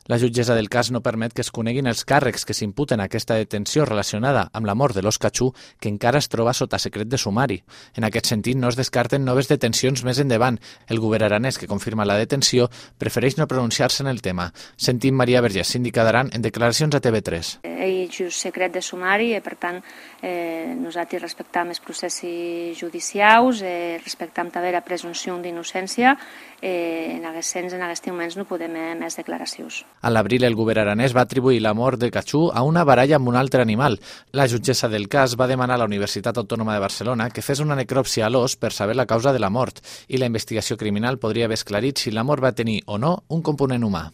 La jutgessa del cas no permet que es coneguin els càrrecs que s'imputen a aquesta detenció relacionada amb la mort de l'ós Cachú, que encara es troba sota secret de sumari. En aquest sentit, no es descarten noves detencions més endavant. El govern aranès, que confirma la detenció, prefereix no pronunciar-se en el tema. Sentim Maria Vergés, síndica d'Aran, en declaracions a TV3. Hi ha secret de sumari i, per tant, nosaltres respectam els processos judicials, respectam també la presumpció d'innocència. En aquests moments no podem més declaracions. A l'abril, el govern aranès va atribuir la mort de Cachú a una baralla amb un altre animal. La jutgessa del cas va demanar a la Universitat Autònoma de Barcelona que fes una necròpsia a l'ós per saber la causa de la mort, i la investigació criminal podria haver esclarit si la mort va tenir o no un component humà.